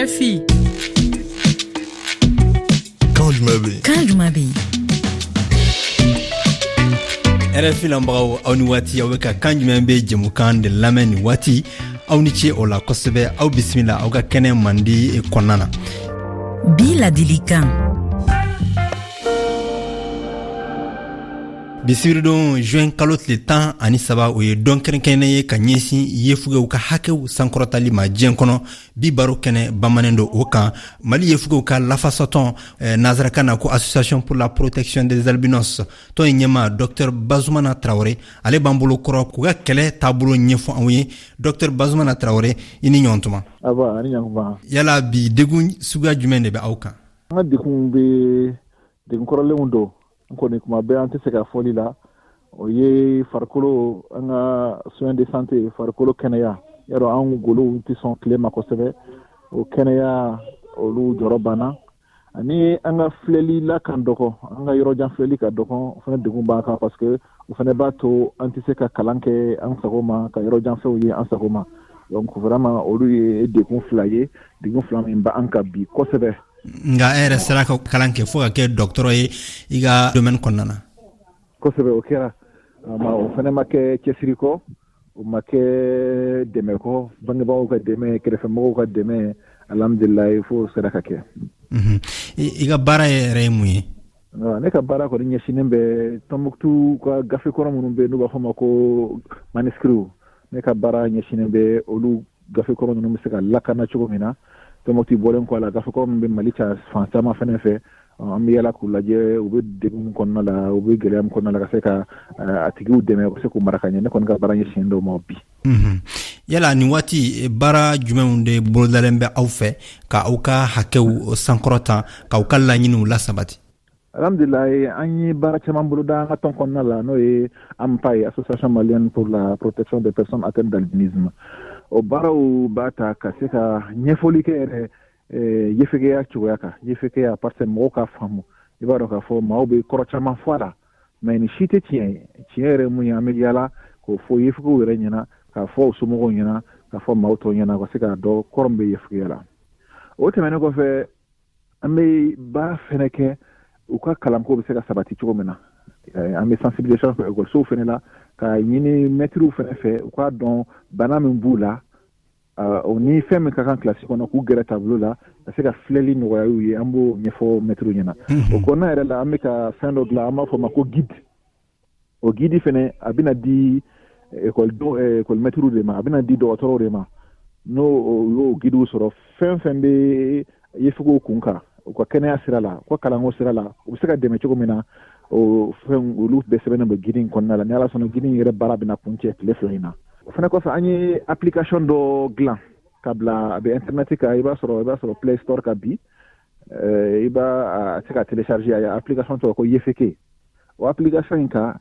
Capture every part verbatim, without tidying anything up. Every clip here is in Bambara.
R F I. Kan jumɛn bɛ yen? Kan jumɛn bɛ yen? R F I lamɛnbagaw, aw ni waati. Aw bɛ ka Kan jumɛn bɛ jɛmukan de lamɛn nin waati. Aw ni ce o la kosɛbɛ. Aw bisimila aw ka kɛnɛ mandi kɔnɔna na. Bi ladilikan. Bi sibiridon, juin kalo tile tan ani saba, o ye don kɛrɛnkɛrɛnnen ye ka ɲɛsin yefugew ka hakɛw sankɔrɔtali ma diɲɛ kɔnɔ. Bi baro kɛnɛ bamanen don o kan. Mali yefugew ka lafasatɔn, eh, nazarakan na ko Association pour la protection des albinos, tɔn in ɲɛma Docteur Bazumana Tarawele, ale b'an bolo kɔrɔ k'u ka kɛlɛ taabolo ɲɛfɔ anw ye. Docteur Bazumana Tarawele, i ni ɲɔgɔn tuma. Aba, ani ɲankuma. Yala bi degun suguya jumɛn de bɛ aw kan? An ka degun bɛ, degun kɔrɔlenw don. N kɔni, kuma bɛɛ an tɛ se ka fɔli la, o ye farikolo, an ka soin de santé, farikolo kɛnɛya. Yarɔ, an golow tɛ sɔn tile ma kosɛbɛ. O kɛnɛya, olu jɔrɔ banna. Ani an ka filɛli la kan dɔgɔ, an ka yɔrɔjan filɛli ka dɔgɔ. O fana degun b'an kan, parce que o fana b'a to an tɛ se ka kalan kɛ an sago ma, ka yɔrɔjan fɛnw ye an sago ma. Donc vraiment, olu ye degun fila ye, degun fila min b'an kan bi kosɛbɛ. Nka e yɛrɛ sera ka kalan kɛ fo ka kɛ dɔgɔtɔrɔ ye i ka domaine kɔnɔna na. Kosɛbɛ, o kɛra. Ma o fana ma kɛ cɛsiri kɔ, o ma kɛ dɛmɛ kɔ, bangebagaw ka dɛmɛ, kɛrɛfɛmɔgɔw ka dɛmɛ. Alhamdulilayi, fo sera ka kɛ. I ka baara yɛrɛ ye mun ye? Ne ka baara kɔni ɲɛsinnen bɛ Tɔnbuktu ka gafe kɔrɔ minnu bɛ, n'u b'a fɔ ma ko manuscrits. Ne ka baara ɲɛsinnen bɛ olu gafe kɔrɔ ninnu bɛ se ka lakana cogo min na. Tɔnbuktu bɔlen kɔ a la, gafe kɔrɔ min bɛ Mali ca fan caman fɛnɛ fɛ, an bɛ yala k'u lajɛ, u bɛ degun min kɔnɔna la, u bɛ gɛlɛya min kɔnɔna la, ka se ka a tigiw dɛmɛ, u ka se k'u mara ka ɲɛ. Ne kɔni ka baara ɲɛsinnen dɔw ma bi. Yala nin waati, baara jumɛnw de bolodalen bɛ aw fɛ ka aw ka hakɛw sankɔrɔta, k'aw ka laɲiniw lasabati? Alhamdulilayi, an ye baara caman boloda an ka tɔn kɔnɔna la, n'o ye AMPA ye, Association malienne pour la protection des personnes atteintes d'albinisme. O baaraw b'a ta ka se ka ɲɛfɔli kɛ yɛrɛ yefegeya cogoya kan, yefegeya, parce que mɔgɔw ka faamu. I b'a dɔn k'a fɔ maaw bɛ kɔrɔ caman fɔ a la, mais nin si tɛ tiɲɛ ye. Tiɲɛ yɛrɛ mun ye, an bɛ yala k'o fɔ yefegew yɛrɛ ɲɛna, k'a fɔ u somɔgɔw ɲɛna, k'a fɔ maaw tɔw ɲɛna, ka se k'a dɔn kɔrɔ min bɛ yefegeya la. O tɛmɛnen kɔfɛ, an bɛ baara fɛnɛ kɛ u ka kalanko bɛ se ka sabati cogo min na. An bɛ sensibilisation kɛ ekɔlisow fɛnɛ la, ka ɲini mɛtiriw fɛnɛ fɛ, u k'a dɔn bana min b'u la, o ni fɛn min ka kan kilasi kɔnɔ, k'u gɛrɛ tableau la, ka se ka filɛli nɔgɔya u ye. An b'o ɲɛfɔ mɛtiriw ɲɛna. O kɔnɔna yɛrɛ la, an bɛ ka fɛn dɔ dilan, an b'a fɔ o ma ko guide. O guide fɛnɛ, a bɛna di ekɔlidenw, ekɔlimɛtiriw de ma, a bɛna di dɔgɔtɔrɔw de ma. N'o y'o guidew sɔrɔ, fɛn fɛn bɛ yefegew kun kan, u ka kɛnɛya sira la, u ka kalanko sira la, u bɛ se ka dɛmɛ cogo min na, o fɛn olu bɛɛ sɛbɛnnen bɛ guide in kɔnɔna la. Ni Ala sɔnna, guide in yɛrɛ baara bɛna kuncɛ tile fila in na. O fana kɔfɛ, an ye application dɔ dilan ka bila, a bɛ internet kan. i b'a sɔrɔ i b'a sɔrɔ Play Store kan bi, i b'a a se ka télécharger. A application tɔgɔ ko Yefeke. O application in kan,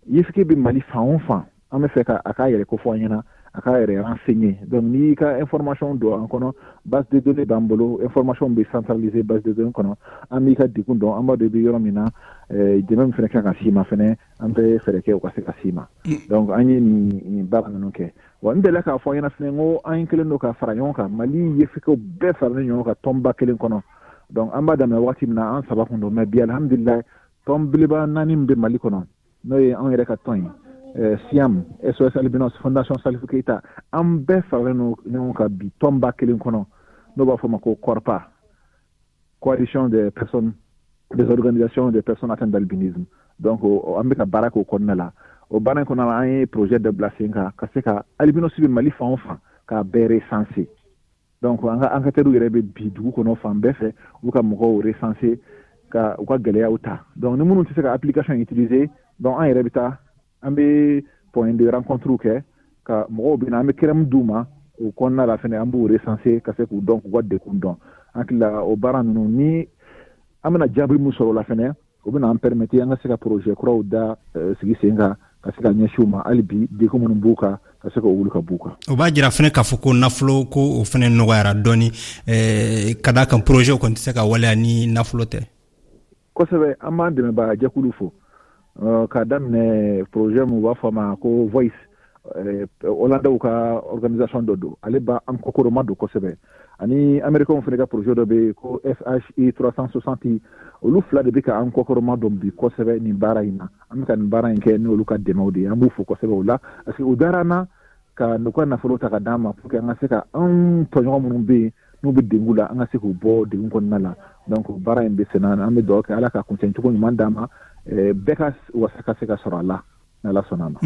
yefeke bɛ Mali fan o fan, an bɛ fɛ ka a k'a yɛrɛ ko fɔ an ɲɛna, a k'a yɛrɛ renseigner. Donc n'i y'i ka information don an kɔnɔ, base de données b'an bolo, information bɛ centraliser base de données kɔnɔ. An b'i ka degun dɔn, an b'a dɔn i bɛ yɔrɔ min na, dɛmɛ min fana kan ka s'i ma fɛnɛ, an bɛ fɛɛrɛ kɛ o ka se ka s'i ma. Donc an ye nin nin baara ninnu kɛ. Wa n delila k'a fɔ an ɲɛna fɛnɛ ko an kɛlen don ka fara ɲɔgɔn kan, Mali yefekew bɛɛ faralen ɲɔgɔn kan tɔnba kelen kɔnɔ. Donc an b'a daminɛ waati min na, an saba kun don, mais bi, alhamdulilayi, tɔn belebeleba naani min bɛ Mali kɔnɔ, n'o ye anw yɛrɛ ka tɔn ye, SIAM, S O S Albinos, Fondation Salif Keita, an bɛɛ faralen don ɲɔgɔn kan bi tɔnba kelen kɔnɔ, n'o b'a fɔ ma ko CORPA, Coalition des personnes, des organisations des personnes atteintes d'albinisme. Donc an bɛ ka baara k'o kɔnɔna la. O baara in kɔnɔna la, an ye projet dɔ bila sen kan ka se ka albinos bɛ Mali fan o fan, k'a bɛɛ recenser. Donc an ka enquêteurs yɛrɛ bɛ bi dugu kɔnɔ fan bɛɛ fɛ, u ka mɔgɔw recenser, ka u ka gɛlɛyaw ta. Donc ni minnu tɛ se ka application utiliser, donc an yɛrɛ bɛ taa, an bɛ point de rencontre kɛ, ka mɔgɔw bɛ na, an bɛ crème d'u ma. O kɔnɔna la fɛnɛ, an b'u recenser ka se k'u dɔn, k'u ka degun dɔn. An hakili la, o baara ninnu ni an bɛna jaabi min sɔrɔ o la fɛnɛ, o bɛna an permettre an ka se ka projet kuraw da sigi sen kan, ka se ka ɲɛsin u ma hali bi, degun minnu b'u kan, ka se k'o wuli ka b'u kan. O b'a jira fɛnɛ k'a fɔ ko nafolo ko o fɛnɛ nɔgɔyara dɔɔni, ka d'a kan projet kɔni tɛ se ka waleya ni nafolo tɛ. Kosɛbɛ, an b'an dɛmɛbaga jɛkulu fo, k'a daminɛ projet min u b'a fɔ a ma ko Voice. Hollandais ka organisation dɔ don, ale b'an kɔkɔrɔma don kosɛbɛ. Ani Américains fana ka projet dɔ bɛ yen ko F H I trois cent soixante, olu fila de bɛ ka an kɔkɔrɔma don bi kosɛbɛ nin baara in na. An bɛ ka nin baara in kɛ ni olu ka dɛmɛw de ye, an b'u fo kosɛbɛ o la, parce que u dara an na ka n'u ka nafolo ta ka d'an ma pour que an ka se ka anw tɔɲɔgɔn minnu bɛ yen n'u bɛ degun la, an ka se k'u bɔ degun kɔnɔna la. Donc baara in bɛ senna, an bɛ dugawu kɛ Ala ka kuncɛcogo ɲuman d'an ma, bɛɛ ka wasa ka se ka sɔrɔ a la, n'Ala sɔnna a ma.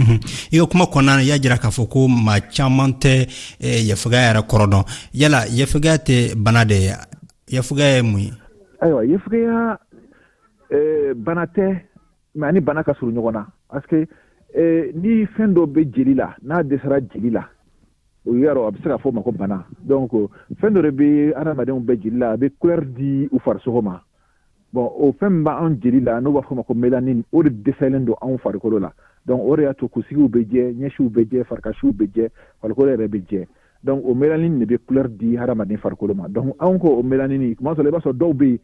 I ka kuma kɔnɔna na, i y'a jira k'a fɔ ko maa caman tɛ yefegaya yɛrɛ kɔrɔ dɔn. Yala yefegaya tɛ bana de ye? Yefegaya ye mun ye? Ayiwa, yefegaya bana tɛ, mais ani bana ka surun ɲɔgɔn na, parce que ni fɛn dɔ bɛ jeli la, n'a dɛsɛra jeli la, o yɔrɔ a bɛ se ka fɔ o ma ko bana. Donc fɛn dɔ de bɛ adamadenw bɛɛ jeli la, a bɛ couleur di u farisogo ma. Bon, o fɛn min b'anw jeli la, n'o b'a fɔ o ma ko mélanine, o de dɛsɛlen don anw farikolo la. Donc o de y'a to kunsigiw bɛ jɛ, ɲɛsiw bɛ jɛ, farikasiw bɛ jɛ, farikolo yɛrɛ bɛ jɛ. Donc o mélanine de bɛ couleur di hadamaden farikolo ma. Donc anw ko o mélanine, tuma dɔ la i b'a sɔrɔ dɔw bɛ yen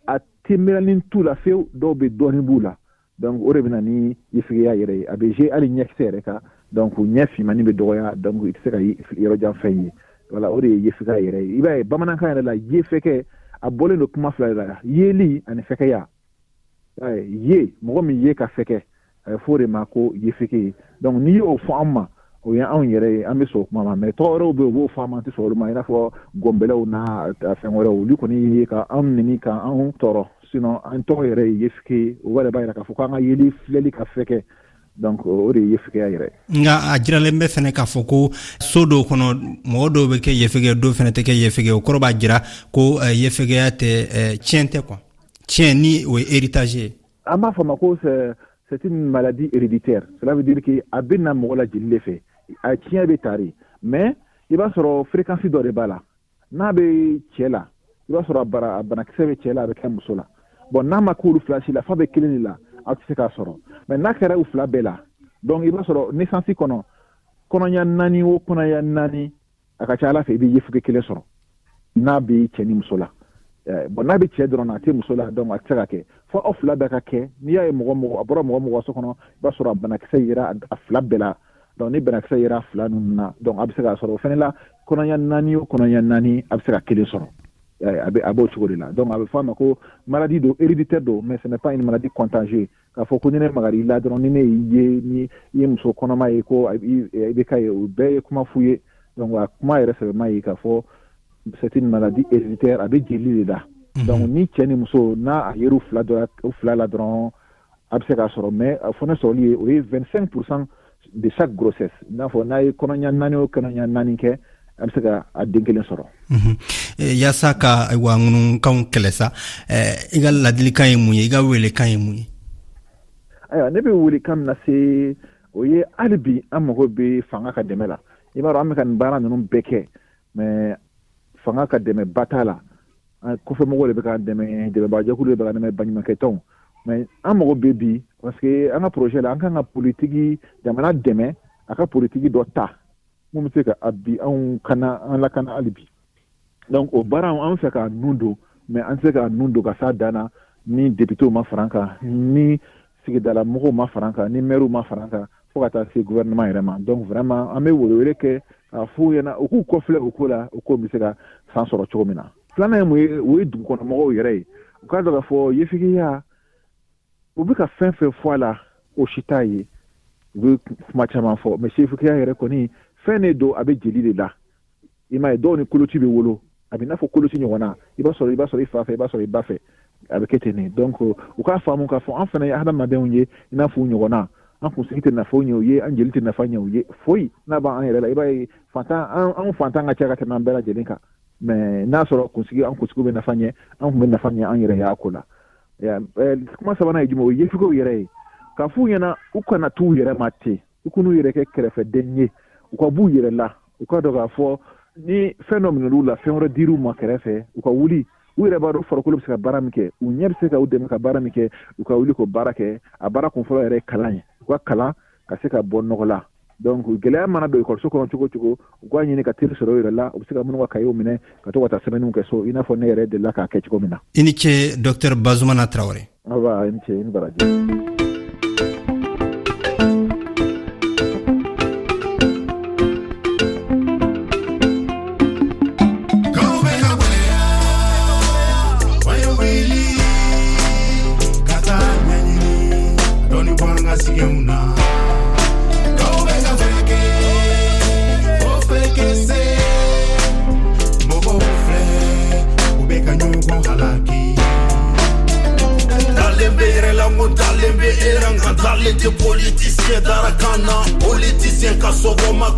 a tɛ mélanine t'u la fewu, dɔw bɛ dɔɔnin b'u la. Donc o de bɛ na ni yefegeya yɛrɛ ye, a bɛ jouer hali ɲɛkisɛ yɛrɛ kan. Donc ɲɛ finmani bɛ dɔgɔya, donc i tɛ se ka yɔrɔ jan fɛn ye. Voilà, o de ye yefegeya yɛrɛ ye. I b'a ye bamanankan yɛrɛ la, yefɛkɛ a bɔlen don kuma fila de la, yeli ani fɛkɛya. Ye mɔgɔ min ye ka fɛkɛ, a bɛ fɔ o de ma ko yefeke. Donc n'i y'o fɔ an ma, o ye anw yɛrɛ ye, an bɛ sɔn o kuma ma. Mais tɔgɔ wɛrɛw bɛ yen, u b'o fɔ an ma, an tɛ sɔn olu ma, i n'a fɔ gɔnbɛlɛw n'a fɛn wɛrɛw, olu kɔni ye ka anw nɛni ka anw tɔɔrɔ. Sinon an tɔgɔ yɛrɛ ye yefeke, o yɛrɛ b'a jira k'a fɔ k'an ka yeli filɛli ka fɛkɛ. Donc o de ye yefekeya yɛrɛ. Nka a jiralen bɛ fɛnɛ k'a fɔ ko so dɔw kɔnɔ, mɔgɔ dɔw bɛ kɛ yefege, dɔw fɛnɛ tɛ kɛ yefege. O kɔrɔ b'a jira ko yefegeya tɛ tiɲɛ tɛ quoi, tiɲɛ ni o ye héritage ye. An b'a fɔ ma ko c'est une maladie héréditaire. Cela veut dire que a bɛ na mɔgɔ la jeli de fɛ, a tiɲɛ bɛ tari, mais i b'a sɔrɔ fréquence dɔ de b'a la. N'a bɛ cɛ la, i b'a sɔrɔ a bara a banakisɛ bɛ cɛ la, a bɛ kɛ muso la. Bon, n'a ma k'olu fila si la, f'a bɛ kelen de la, aw tɛ se k'a sɔrɔ. Mais n'a kɛra u fila bɛɛ la, donc i b'a sɔrɔ naissance kɔnɔ, kɔnɔɲa naani o kɔnɔɲa naani, a ka ca Ala fɛ i bɛ yefege kelen sɔrɔ n'a bɛ cɛ ni muso la. Bon, n'a bɛ cɛ dɔrɔn na, a tɛ muso la, donc a tɛ se ka kɛ fo aw fila bɛɛ ka kɛ. N'i y'a ye mɔgɔ mɔgɔ a bɔra mɔgɔ mɔgɔ so kɔnɔ, i b'a sɔrɔ a banakisɛ yera a fila bɛɛ la. Donc ni banakisɛ yera a fila ninnu na, donc a bɛ se k'a sɔrɔ o fana la, kɔnɔɲa naani o kɔnɔɲa naani, a bɛ se ka kelen sɔrɔ. A bɛ a b'o cogo de la. Donc a bɛ fɔ a ma ko maladie don, héréditaire don, mais ce n'est pas une maladie contagieuse. K'a fɔ ko ni ne magar'i la dɔrɔn, ni ne y'i ye, ni i ye muso kɔnɔma ye, ko i bɛ k'a ye, o bɛɛ ye kuma f'u ye. Donc a kuma yɛrɛ sɛbɛma ye k'a fɔ c'est une maladie héréditaire, a bɛ jeli de la. Donc ni cɛ ni muso n'a a yer'u fila dɔ u fila la dɔrɔn, a bɛ se k'a sɔrɔ. Mais a fɔ ne sɔrɔli ye, o ye vingt-cinq pour cent de chaque grossesse. I n'a fɔ n'a ye kɔnɔɲa naani o kɔnɔɲa naani kɛ, a bɛ se ka a den kelen sɔrɔ. Yaasa ka ayiwa ŋunukanw kɛlɛ sa, i ka ladilikan ye mun ye, i ka welekan ye mun ye? Ayiwa, ne bɛ welekan min lase, o ye hali bi an mago bɛ fanga ka dɛmɛ la. I b'a dɔn an bɛ ka nin baara ninnu bɛɛ kɛ, mais fanga ka dɛmɛ ba t'a la. Kɔfɛmɔgɔw de bɛ k'an dɛmɛ, dɛmɛbaajɛkulu de bɛ k'an dɛmɛ, baɲumankɛtɔnw. Mais an mago bɛ bi, parce que an ka projet la, an kan ka politiki jamana dɛmɛ, a ka politiki dɔ ta mun bɛ se ka a bi anw kana an lakana hali bi. Donc o baara an fɛ k'a nun don, mais an tɛ se k'a nun don ka s'a dan na ni députéw ma fara an kan, ni sigidala mɔgɔw ma fara an kan, ni maires ma fara an kan, fo ka taa se gouvernement yɛrɛ ma. Donc vraiment an bɛ welewele kɛ k'a f'u ɲɛna, u k'u kɔfilɛ o ko la, o ko bɛ se ka san sɔrɔ cogo min na. Filanan ye mun ye, o ye dugukɔnɔmɔgɔw yɛrɛ ye. U k'a dɔn k'a fɔ yefegeya, u bɛ ka fɛn fɛn fɔ a la, o si t'a ye. U bɛ kuma caman fɔ, mais yefegeya yɛrɛ kɔni fɛn de don, a bɛ jeli de la. I m'a ye, dɔw ni koloci bɛ wolo, a bɛ n'a fɔ koloci ɲɔgɔn na, i b'a sɔrɔ i b'a sɔrɔ i fa fɛ, i b'a sɔrɔ i ba fɛ, a bɛ kɛ ten de. Donc u k'a faamu k'a fɔ an fana ye hadamadenw ye i n'a fɔ u ɲɔgɔn na. An kunsigi tɛ nafa ɲɛ u ye, an jeli tɛ nafa ɲɛ u ye, foyi n'a b'an yɛrɛ la. I b'a ye fantan, an fantan ka ca ka tɛmɛ an bɛɛ lajɛlen kan, mais n'a sɔrɔ kunsigi, an kunsigiw bɛ nafa ɲɛ, an tun bɛ nafa ɲɛ an yɛrɛ y'a ko la. Kuma sabanan ye jumɛn, o ye yefegew yɛrɛ ye, k'a f'u ɲɛna u kana t'u yɛrɛ ma ten, u kan'u yɛrɛ kɛ kɛrɛfɛden ye, u ka b'u yɛrɛ la, u ka dɔn k'a fɔ ni fɛn dɔ minɛl'u la, fɛn wɛrɛ dir'u ma kɛrɛfɛ, u ka wuli. U yɛrɛ b'a dɔn farikolo bɛ se ka baara min kɛ, u ɲɛ bɛ se ka u dɛmɛ ka baara min kɛ, u ka wuli k'o baara kɛ. A baara kunfɔlɔ yɛrɛ ye kalan ye, u ka kalan ka se ka bɔ nɔgɔ la. Donc gɛlɛya mana don ekɔliso kɔnɔ cogo o cogo, u k'a ɲini ka teri sɔrɔ u yɛrɛ la, u bɛ se ka minnu ka kayew minɛ ka to ka taa sɛbɛnniw kɛ so, i n'a fɔ ne yɛrɛ delila k'a kɛ cogo min na. I ni ce, docteur Bazumana Tarawele. Aba, i ni ce, i ni baraji.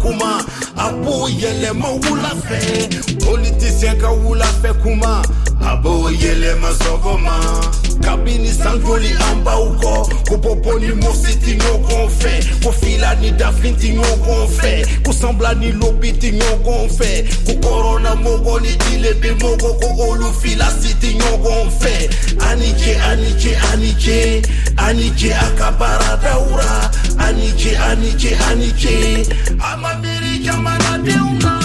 kuma a b'o yɛlɛma wula fɛ politicien ka wula fɛ kuma a b'o yɛlɛma sɔgɔma kabini san joli an b'aw kɔ ko bɔbɔ ni mɔsi ti ɲɔgɔn fɛ ko fila ni dafin ti ɲɔgɔn fɛ ko sanbila ni lobi ti ɲɔgɔn fɛ ko kɔrɔna mɔgɔ ni tilebe mɔgɔ ko olu fila si ti ɲɔgɔn fɛ ani ce ani ce ani ce ani ce a ka baaradaw ra ani ce ani ce ani ce a ma miiri jamanadenw na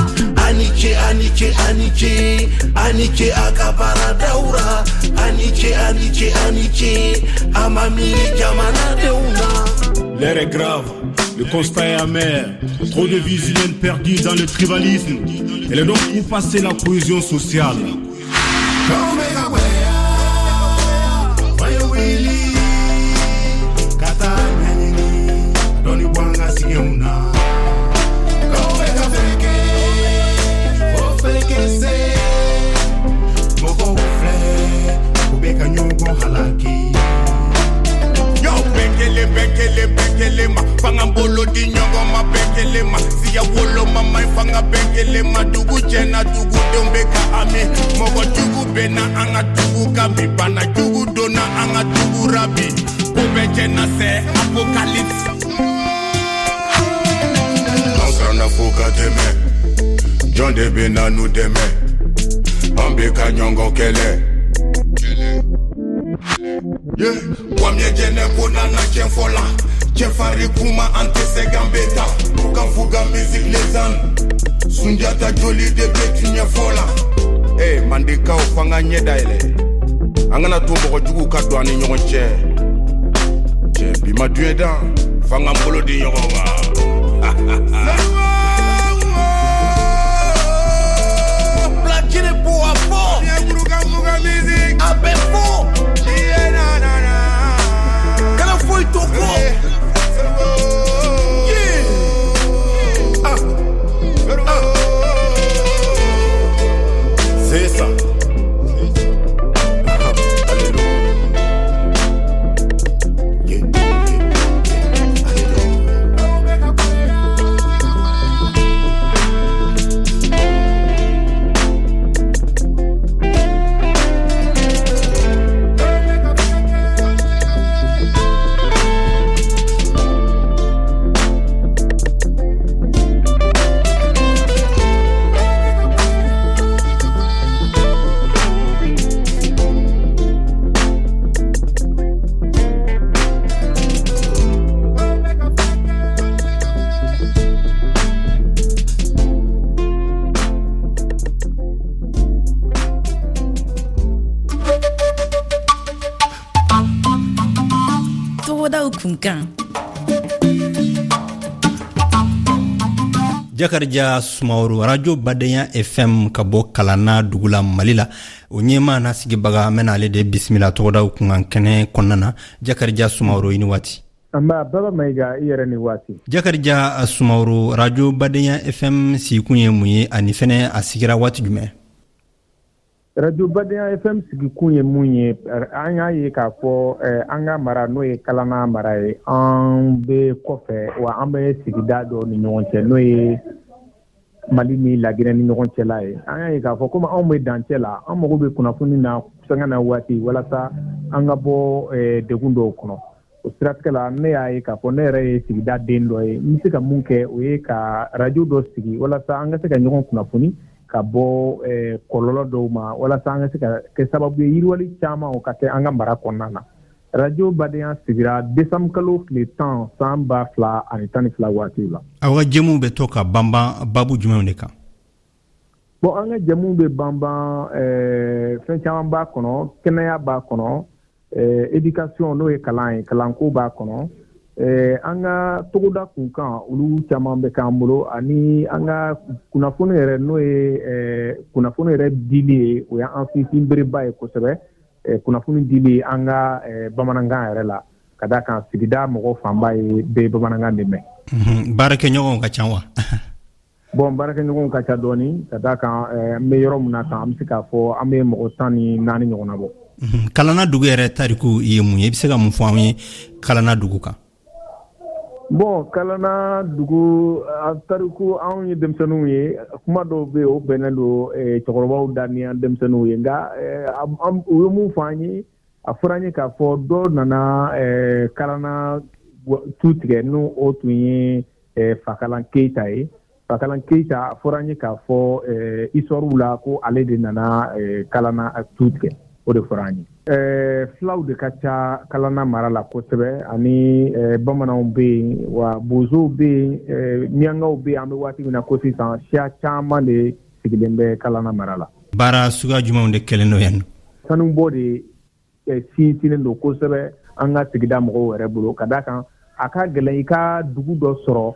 ani ce ani ce ani ce ani ce a ka baaradaw ra ani ce ani ce ani ce a ma miiri jamanadenw na. L'air est grave, le constat est amer. Trop de vies humaines perdues dans le tribalisme. Elle est donc où passer la cohésion sociale. Fanga bolo di ɲɔgɔn ma bɛɛ kelen ma siya woloma ma fanga bɛɛ kelen ma dugu jɛna dugudenw bɛ ka ami mɔgɔ jugu bɛ na an ka dugu kan bi bana jugu donna an ka dugu ra bi ko bɛɛ jɛna c'est apocalypse. An siranna fo ka tɛmɛ jɔn de bɛ na n'u dɛmɛ an bɛ ka ɲɔgɔn kɛlɛ. Kwamye jɛnɛ ko nana tiɲɛ fɔ la cɛfarin kuma an tɛ sɛgɛn bɛ taa Fuga musique les ânes Sunjata joli de bɛ tiɲɛ fɔ la. Eh mandekaw f'an ka ɲɛ dayɛlɛ an kana to mɔgɔ juguw ka don an ni ɲɔgɔn cɛ cɛ bi ma duɲɛ dan f'an k'an bolo di ɲɔgɔn ma. Platini pour a fɔ a bɛ fɔ kana foyi to kɔ. C'est ça. Kunkan. Jakarija Sumaworo, Radio Badenya F M ka bɔ Kalanna dugu la Mali la, o ɲɛmaa n'a sigibaga an bɛna ale de bisimila tɔgɔdaw kunkan kɛnɛ kɔnɔna na. Jakarija Sumaworo, i ni waati. Nba Baba Mayiga, i yɛrɛ ni waati. Jakarija Sumaworo, Radio Badenya F M sigikun ye mun ye ani fɛnɛ a sigira waati jumɛn? Radio Badenya F M sigikun ye mun ye, an y'a ye k'a fɔ an ka mara n'o ye Kalanna mara ye, an bɛ kɔfɛ wa an bɛ sigida dɔw ni ɲɔgɔn cɛ n'o ye Mali ni Laginɛ ni ɲɔgɔn cɛla ye. An y'a ye k'a fɔ komi anw bɛ dancɛ la, an mago bɛ kunnafoni na sanga na waati walasa an ka bɔ degun dɔw kɔnɔ. O siratigɛ la, ne y'a ye k'a fɔ ne yɛrɛ ye sigida den dɔ ye, n bɛ se ka mun kɛ o ye ka radio dɔ sigi walasa an ka se ka ɲɔgɔn kunnafoni ka bɔ kɔlɔlɔ dɔw ma, walasa an ka se ka kɛ sababu ye yiriwali caman o ka kɛ an ka mara kɔnɔna na. Radio Badenya sigira décembre kalo tile tan san ba fila ani tan ni fila waatiw la. Aw ka jɛmuw bɛ to ka banban babu jumɛnw de kan? Bon, an ka jɛmuw bɛ banban fɛn caman b'a kɔnɔ, kɛnɛya b'a kɔnɔ, éducation n'o ye kalan ye, kalanko b'a kɔnɔ, an ka togoda kunkan olu caman bɛ k'an bolo, ani an ka kunnafoni yɛrɛ n'o ye kunnafoni yɛrɛ dili ye, o y'an sinsin bereba ye kosɛbɛ, kunnafoni dili an ka bamanankan yɛrɛ la, ka d'a kan sigida mɔgɔ fanba ye bɛ bamanankan de mɛn. Baarakɛɲɔgɔnw ka ca wa? Bon, baarakɛɲɔgɔnw ka ca dɔɔni, ka d'a kan an bɛ yɔrɔ min na tan, an bɛ se k'a fɔ an bɛ mɔgɔ tan ni naani ɲɔgɔnna bɔ. Kalanna dugu yɛrɛ tariku ye mun ye? I bɛ se ka mun fɔ an ye Kalanna dugu kan? Bon, Kalana dugu a tariku, anw ye denmisɛnninw ye, kuma dɔw bɛ yen, o bɛnnen don cɛkɔrɔbaw da ni an denmisɛnninw ye. Nka u ye mun fɔ an ye? A fɔra an ye k'a fɔ dɔw nana Kalana tu tigɛ, n'o o tun ye Fakalan Keyita ye. Fakalan Keyita, a fɔra an ye k'a fɔ histoire la ko ale de nana Kalana tu tigɛ, o de fɔra an ye. Filaw de ka ca Kalana mara la kosɛbɛ, ani bamananw bɛ yen, wa bozow bɛ yen, miyankaw bɛ yen. An bɛ waati min na ko sisan, siya caman de sigilen bɛ Kalana mara la. Baara suguya jumɛnw de kɛlen don yan? Sanubɔ de sinsinnen don kosɛbɛ an ka sigida mɔgɔw yɛrɛ bolo, ka d'a kan a ka gɛlɛn i ka dugu dɔ sɔrɔ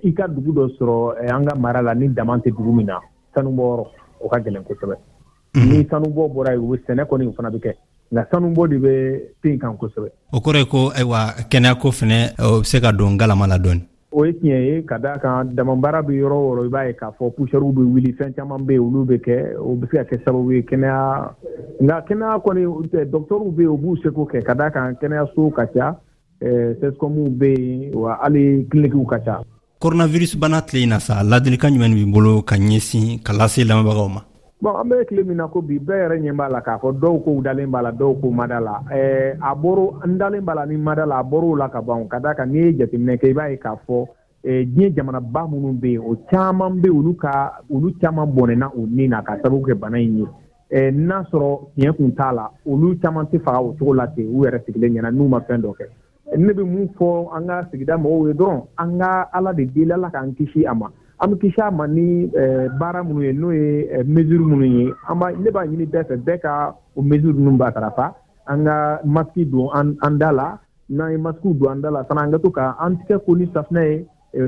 i ka dugu dɔ sɔrɔ an ka mara la ni dama tɛ dugu min na. Sanubɔyɔrɔ, o ka gɛlɛn kosɛbɛ. Ni sanubɔ bɔra yen, u bɛ sɛnɛ kɔni, o fana bɛ kɛ, nka sanubɔ de bɛ pen kan kosɛbɛ. O kɔrɔ ye ko ayiwa, kɛnɛyako fɛnɛ o bɛ se ka don galama la dɔɔni. O ye tiɲɛ ye, ka d'a kan damabaara bɛ yɔrɔ o yɔrɔ, i b'a ye k'a fɔ poussière bɛ wuli, fɛn caman bɛ yen, olu bɛ kɛ, o bɛ se ka kɛ sababu ye kɛnɛya. Nka kɛnɛya kɔni, dɔgɔtɔrɔw bɛ yen, u b'u seko kɛ, ka d'a kan kɛnɛyaso ka ca, C S C O M bɛ yen, wa hali cliniques ka ca. Coronavirus bana tile in na sa, ladilikan jumɛn b'i bolo ka ɲɛsin ka lase lamɛnbagaw ma? Bon, an bɛ tile min na ko bi, bɛɛ yɛrɛ ɲɛ b'a la k'a fɔ dɔw ko dalen b'a la, dɔw ko ma da la. A bɔr'o, n dalen b'a la ni ma da la, a bɔr'o la ka ban, ka d'a kan n'i ye jateminɛ kɛ, i b'a ye k'a fɔ diɲɛ jamanaba minnu bɛ yen, o caman bɛ, olu ka olu caman bɔnɛna u ni na ka sababu kɛ bana in ye. N'a sɔrɔ tiɲɛ kun t'a la, olu caman tɛ faga o cogo la ten u yɛrɛ sigilen ɲɛna n'u ma fɛn dɔ kɛ. Ne bɛ mun fɔ an ka sigida mɔgɔw ye dɔrɔn? An ka Ala de deli, Ala k'an kisi a ma. An bɛ kisi a ma ni baara minnu ye, n'o ye mesure minnu ye, an b'a ne b'a ɲini bɛɛ fɛ, bɛɛ ka o mesure ninnu matarafa. An ka masque don an an da la. N'an ye masque don an da la fana, an ka to ka an tigɛ ko ni safunɛ ye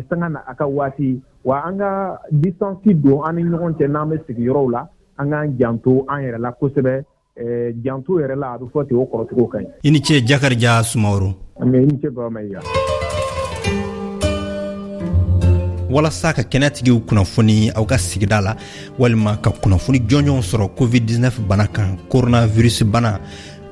sanga na a ka waati, wa an ka distance don an ni ɲɔgɔn cɛ n'an bɛ sigi yɔrɔw la. An k'an janto an yɛrɛ la kosɛbɛ. Janto yɛrɛ la, a bɛ fɔ ten, o kɔrɔcogo ka ɲi. I ni ce, Jakarija Sumaworo. I ni ce, Baba Mayiga. Walasa ka kɛnɛyatigiw kunnafoni aw ka sigida la, walima ka kunnafoni jɔnjɔn sɔrɔ covid dix-neuf bana kan, coronavirus bana,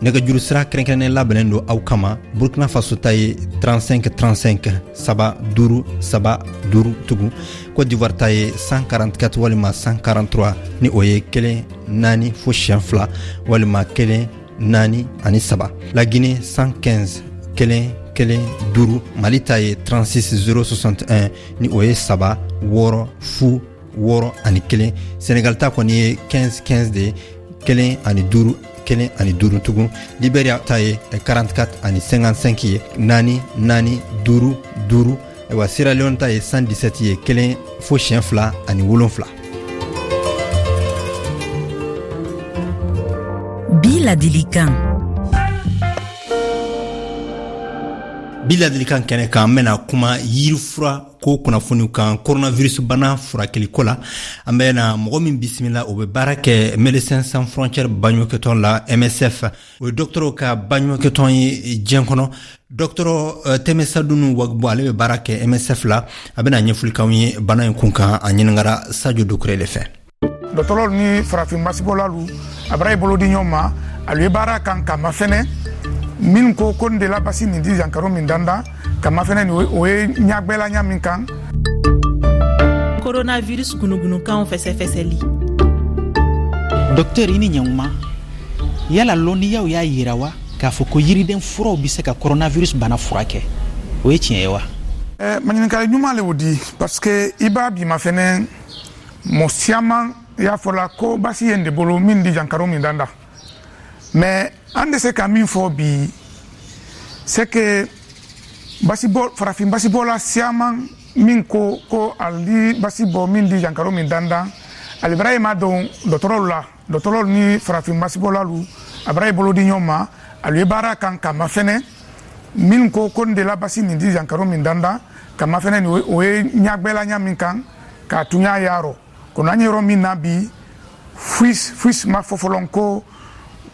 nɛgɛjuru sira kɛrɛnkɛrɛnnen labɛnnen don aw kama. Burkina Faso ta ye trente-cinq trente-cinq, saba duuru saba duuru tugun. Côte d'Ivoire ta ye cent quarante-quatre walima cent quarante-trois, ni o ye kelen naani fo siɲɛ fila walima kelen naani ani saba. La Guinée, cent quinze kelen kelen duuru. Mali ta ye trente-six zéro soixante et un, ni o ye saba wɔɔrɔ fu wɔɔrɔ ani kelen. Senegal ta kɔni ye quinze quinze de ye, kelen ani duuru kelen ani duuru tugun. Liberia ta ye quarante-quatre ani cinquante-cinq ye, naani naani duuru duuru. Ayiwa, Sierra Leone ta ye cent dix-sept ye, kelen fo siɲɛ fila ani wolonfila. Bi ladilikan. Bi ladilikan kɛnɛ kan, an bena kuma yirifura ko kunnafoniw kan coronavirus bana furakɛliko la. An bena mɔgɔ min bisimila, o be baara kɛ Médecins Sans Frontières baɲumankɛtɔn la, M S F, o ye dɔgɔtɔrɔw ka baɲumankɛtɔn ye diɲɛ kɔnɔ. Dɔgɔtɔrɔ Tɛmɛsadunu Wagbo, ale be baara kɛ M S F la. A bena ɲɛfɔli k'anw ye bana in kun kan. A ɲiningara Sajo Dukure le fɛ. Dɔgɔtɔrɔw ni farafin basibɔlalu a bara i bolo di ɲɔgɔn ma, alu ye baara kan ka mafɛnɛ min ko ko n de la basi nin di jankaro min dandan ka mafɛnɛ nin, o ye ɲagbɛla ɲa min kan. Coronavirus gunugunukanw fɛsɛfɛsɛli. Dɔktɛr, i ni ɲankuma. Yala lɔnniyaw y'a yira wa k'a fɔ ko yiriden furaw be se ka coronavirus bana furakɛ? O ye tiɲɛ ye wa? Eh, maɲininkali ɲuman le o di, parce que i b'a bi mafɛnɛ mɔ siaman y'a fɔla ko basi ye n de bolo min di jankaro min danda. Mais an de se ka min fɔ bi, c'est que basibɔ, farafin basibɔla siaman min ko ko ali basi bɔ min di jankaro min dandan, ali bara ma don dɔgɔtɔrɔw la. Dɔgɔtɔrɔw ni farafin basibɔlalu a bara i bolo di ɲɔgɔn ma, alu ye baara kan ka mafɛnɛ min ko ko n de la basi nin di jankaro min dandan ka mafɛnɛ nin, o ye ɲagbɛla ɲa min kan k'a tun y'a yarɔ. Kono an ye yɔrɔ min na bi, foyi foyi ma fɔ fɔlɔ ko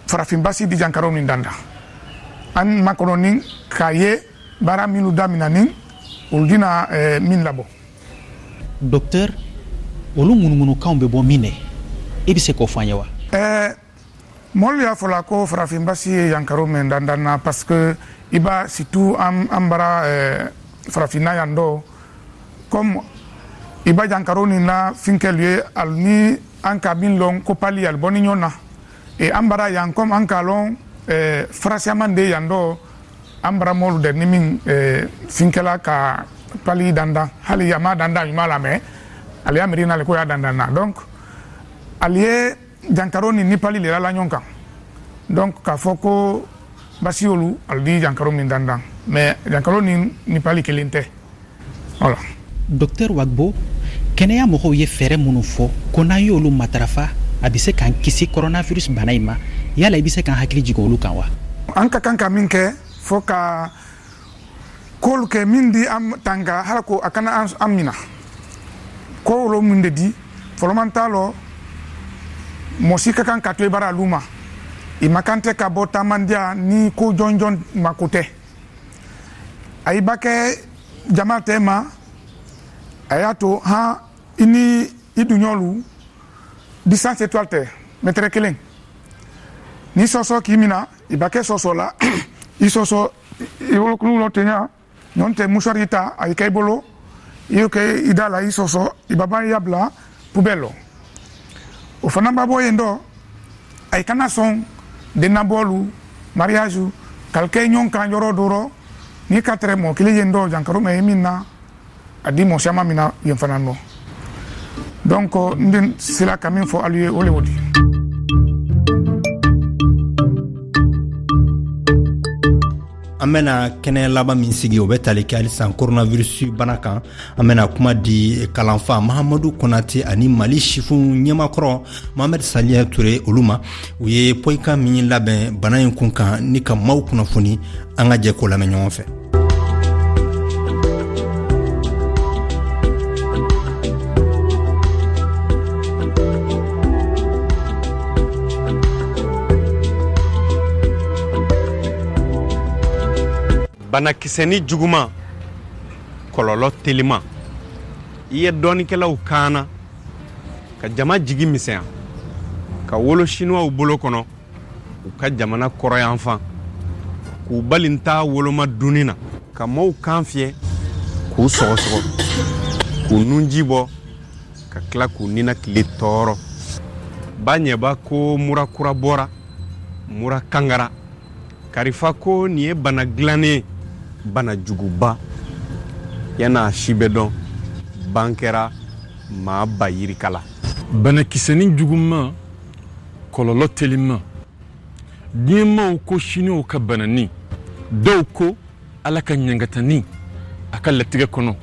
farafin basi di jankaro min dandan. An makɔnɔ ni k'a ye baara minnu damina ni olu dina eh, min labɔ. Docteur, olu ŋunuŋunukanw bɛ bɔ min dɛ, i bɛ se k'o fɔ an ye wa? Eh, mɔlu y'a fɔla ko farafin basi ye jankaro min dandan na, parce que i b'a surtout an, an bara eh, farafinna yan dɔ comme i ba jankaro nin na finkɛlu ye ali ni an ka min lɔn ko pali ali bɔ ni ɲɔgɔn na et an bara yan comme an k'a lɔn eh, farasiyaman de yan dɔ an bara mɔlu dɛ ni min eh, finkɛla ka pali dandan hali a ma dandan ɲuman la mais ale y'a miiri n'ale ko y'a dandan na donc ale ye jankaro ni ni pali le la ɲɔgɔn kan donc k'a fɔ ko basi olu ale di jankaro min dandan mais jankaro ni ni pali kelen tɛ voilà. Docteur Wagbo, kɛnɛya mɔgɔw ye fɛɛrɛ minnu fɔ ko n'an y'olu matarafa a bɛ se k'an kisi coronavirus bana in ma, yala i bɛ se k'an hakili jigin olu kan wa? An ka kan ka min kɛ fo ka koolu kɛ min di an tanga hala ko a kana an mina ko wolo min de di fɔlɔman t'a lɔ mɔgɔ si ka kan ka to i bara alu ma i ma kan tɛ ka bɔ taamandiya ni ko jɔnjɔn mako tɛ a i ba kɛ jama tɛ ma a y'a to han i ni i duɲɔlu distance étoile tɛ mɛtɛrɛ kelen ni sɔsɔ k'i mina i ba kɛ sɔsɔ la i sɔsɔ i bolokulu lɔ tenya ɲɔn tɛ mouchoir ta a y'i kɛ i bolo i y'o kɛ i da la i sɔsɔ i ba ban i y'a bila poubelle lɔ o fana ba bɔ yen dɔ a kana sɔn dennabɔlu mariage k'al kɛ ɲɔgɔn kan yɔrɔ dɔ rɔ n'i ka tɛrɛ mɔgɔ kelen yen dɔ jankaro mɛ ye min na a di mɔgɔ caman min na yen fana nɔ donc n den sera ka min fɔ alu ye o le o di. An bɛna kɛnɛ laban min sigi o bɛ tali kɛ halisa coronavirus bana kan. An bɛna kuma di kalanfa Mahamadu Konate ani Mali sifin ɲɛmakɔrɔ Mohamed Saliya Ture olu ma. U ye poyikan min labɛn bana in kun kan ni ka maaw kunnafoni, an ka jɛ k'o lamɛn ɲɔgɔn fɛ. Banakisɛni juguman, kɔlɔlɔ teliman. I ye dɔnnikɛlaw kaana ka jama jigi misɛnya ka wolo sinuwaw bolo kɔnɔ u ka jamana kɔrɔyanfan k'u bali ta woloma dunni na ka mɔɔw kan fiyɛ k'u sɔgɔsɔgɔ k'u nunji bɔ ka tila k'u ninakili tɔɔrɔ. Ba ɲɛba ko mura kura bɔra, mura kangara. Karifa ko nin ye bana dilannen ye, bana juguba. Yan'a si bɛ dɔn, ban kɛra maa ba yirika la. Banakisɛnin juguman, kɔlɔlɔ teliman. Diɲɛmaw ko siniw ka banani, dɔw ko Ala ka ɲangatani a ka latigɛ kɔnɔ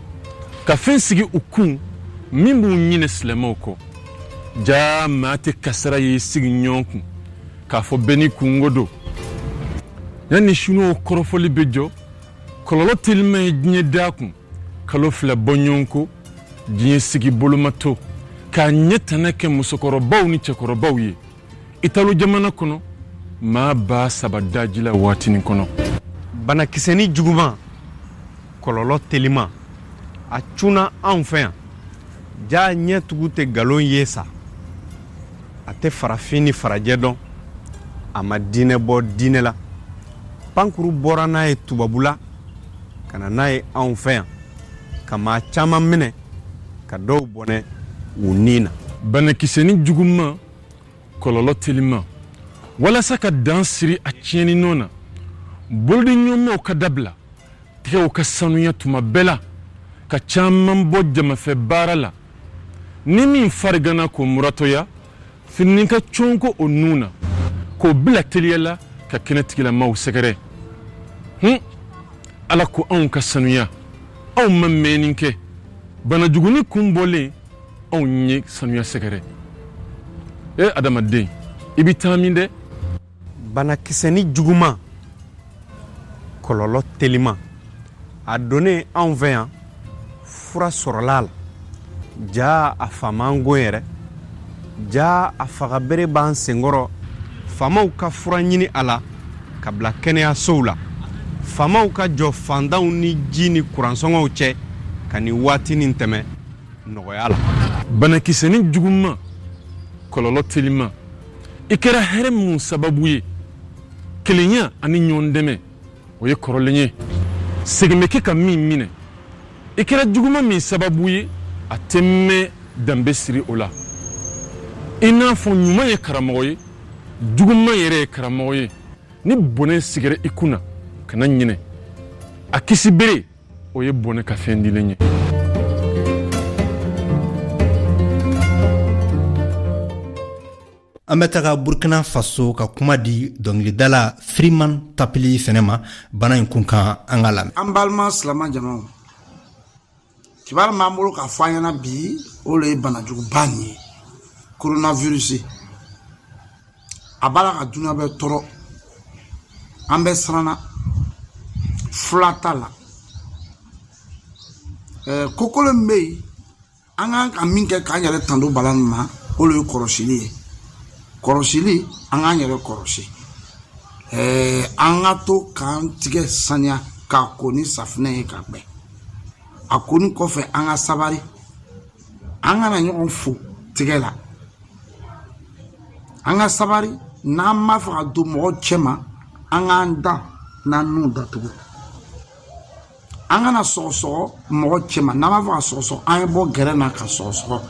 ka fɛn sigi u kun min b'u ɲinɛ silamɛw kɔ. Jaa maa tɛ kasara ye sigi ɲɔgɔn kun k'a fɔ bɛɛ n'i kungo don. Yanni siniw kɔrɔfɔli bɛ jɔ, kɔlɔlɔ teliman ye diɲɛ da kun kalo fila bɔ ɲɔgɔn ko diɲɛ sigi boloma to k'a ɲɛ tana kɛ musokɔrɔbaw ni cɛkɔrɔbaw ye. Italo jamana kɔnɔ maa ba saba daji la waatinin kɔnɔ. Banakisɛni juguman, kɔlɔlɔ teliman, a cunna anw fɛ yan. Jaa ɲɛ tugu tɛ nkalon ye sa. A tɛ farafin ni farajɛ dɔn, a ma diinɛ bɔ diinɛ la. Pankuru bɔra n'a ye tubabula ka na n'a ye anw fɛ yan ka maa caman minɛ ka dɔw bɔnɛ u ni na. Banakisɛni juguman, kɔlɔlɔ teliman. Walasa ka dan siri a tiɲɛni nɔ na, bolodiɲɔgɔnmaw ka dabila, tigɛw ka sanuya tuma bɛɛ la, ka caman bɔ jamafɛ baara la. Ni min farigana k'o muratɔya, fini ka cɔnko o nun na k'o bila teliya la ka kɛnɛtigilamaw sɛgɛrɛ. Hun, Ala ko anw ka sanuya, anw ma mɛnni kɛ. Banajuguni kun bɔlen, anw ye sanuya sɛgɛrɛ. E adamaden, i bɛ taa min dɛ? Banakisɛni juguman, kɔlɔlɔ teliman, a donnen anw fɛ yan, fura sɔrɔla a la. Jaa a faama go yɛrɛ, jaa a fagabere b'an senkɔrɔ. Faamaw ka fura ɲini a la ka bila kɛnɛyasow la. Faamaw ka jɔ fantanw ni ji ni kuransɔngɔw cɛ ka nin waati nin tɛmɛ nɔgɔya la. Banakisɛni juguman, kɔlɔlɔ teliman. I kɛra hɛrɛ mun sababu ye, kelenya ani ɲɔgɔn dɛmɛ o ye kɔrɔlen ye. Segin bɛ kɛ ka min minɛ, I kɛra juguman min sababu ye, a tɛ mɛn danbe siri o la. I n'a fɔ ɲuman ye karamɔgɔ ye, juguman yɛrɛ ye karamɔgɔ ye. Ni bɔnɛ sigira i kunna, kana ɲinɛ. A kisi bere, o ye bɔnɛ ka fɛn dilen ye. An bɛ taga Burkina Faso ka kuma di dɔnkilidala Freeman Tapili fɛnɛ ma bana in kun kan, an ka lamɛn. An balima silama jamaw, kibaru m'an bolo k'a fɔ an ɲɛna bi, o le ye banajuguba nin ye, coronavirus. A b'a la ka dunuya bɛɛ tɔɔrɔ, an bɛɛ siranna, fura t'a la. Ɛɛ kokolo min bɛ yen, an kan ka min kɛ k'an yɛrɛ tando bana nin ma, o le ye kɔlɔsili ye. Kɔlɔsili, an k'an yɛrɛ kɔlɔsi. Ɛɛ an ka to k'an tigɛ saniya k'a ko ni safinɛ ye ka gbɛ. A koni kɔfɛ, an ka sabari, an kana ɲɔgɔn fo tigɛ la. An ka sabari, n'an m'a fɛ ka don mɔgɔ cɛ ma, an k'an da n'an nun datugu. An kana sɔgɔsɔgɔ mɔgɔ cɛ ma, n'an b'a fɛ ka sɔgɔsɔgɔ, an ye bɔ gɛrɛn na ka sɔgɔsɔgɔ.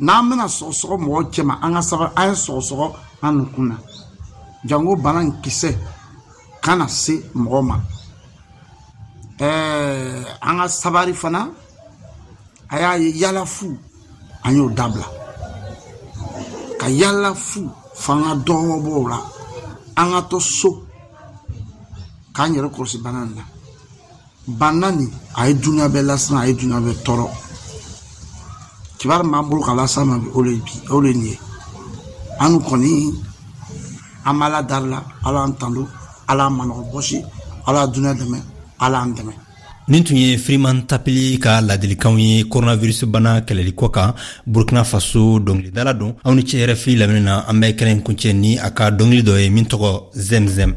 N'an bɛna sɔgɔsɔgɔ mɔgɔ cɛ ma, an ka sabari, an ye sɔgɔsɔgɔ an nukun na. Jango bana in kisɛ kana se mɔgɔ ma. Ɛɛ an ka sabari fana, a y'a ye yala fu, an y'o dabila. Ka yala fu f'an ka dɔ bɔ o la. An ka to so k'an yɛrɛ kɔlɔsi bana nin na. Bana nin, a ye dunuya bɛɛ lasiran, a ye dunuya bɛɛ tɔɔrɔ. Kibaru min b'an bolo ka las'a ma bi, o le bi, o le nin ye. An kɔni, an b'Ala dari la, Ala an tando, Ala an manɔgɔ bɔsi, Ala dunuya dɛmɛ, Ala an dɛmɛ. Nin tun ye Freeman Tapili ka ladilikanw ye coronavirus bana kɛlɛli kɔ kan. Burkina Faso dɔnkilidala don. Aw ni ce R F I lamɛnni na. An bɛ kɛnɛ kuncɛ ni a ka dɔnkili dɔ ye min tɔgɔ Zemzem.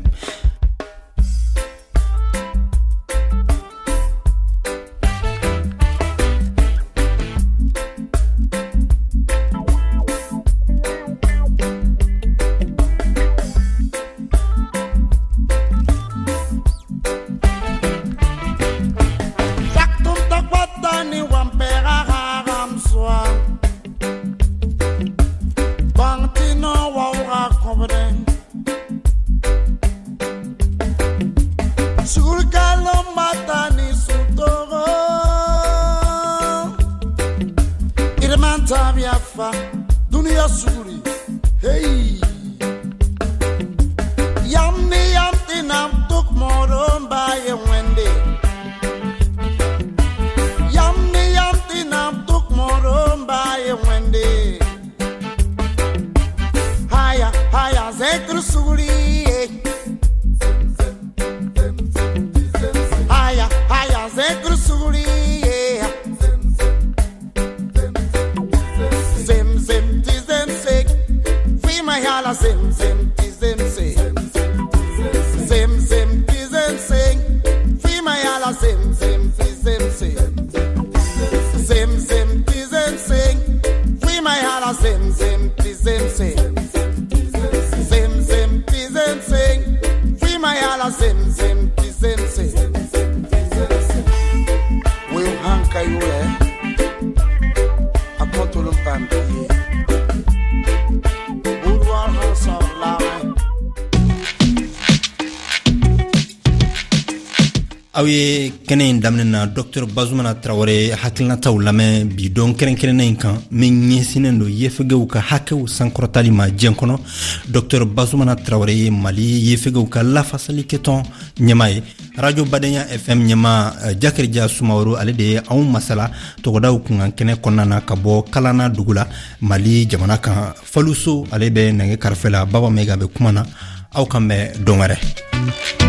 Aw ye kɛnɛ in daminɛ na Docteur Bazumana Tarawele hakilinataw lamɛn bi don kɛrɛnkɛrɛnnen in kan min ɲɛsinnen don yefegew ka hakɛw sankɔrɔtali ma diɲɛ kɔnɔ. Docteur Bazumana Tarawele ye Mali yefegew ka lafasalikɛtɔn ɲɛmaa ye. Radio Badenya F M ɲɛmaa Jakirija Sumaworo, ale de ye anw masala togodaw kunkan kɛnɛ kɔnɔna na ka bɔ Kalana dugu la Mali jamana kan. Faluso ale bɛ nɛgɛ karafe la, Baba Maiga bɛ kuma na. Aw kan bɛn don wɛrɛ.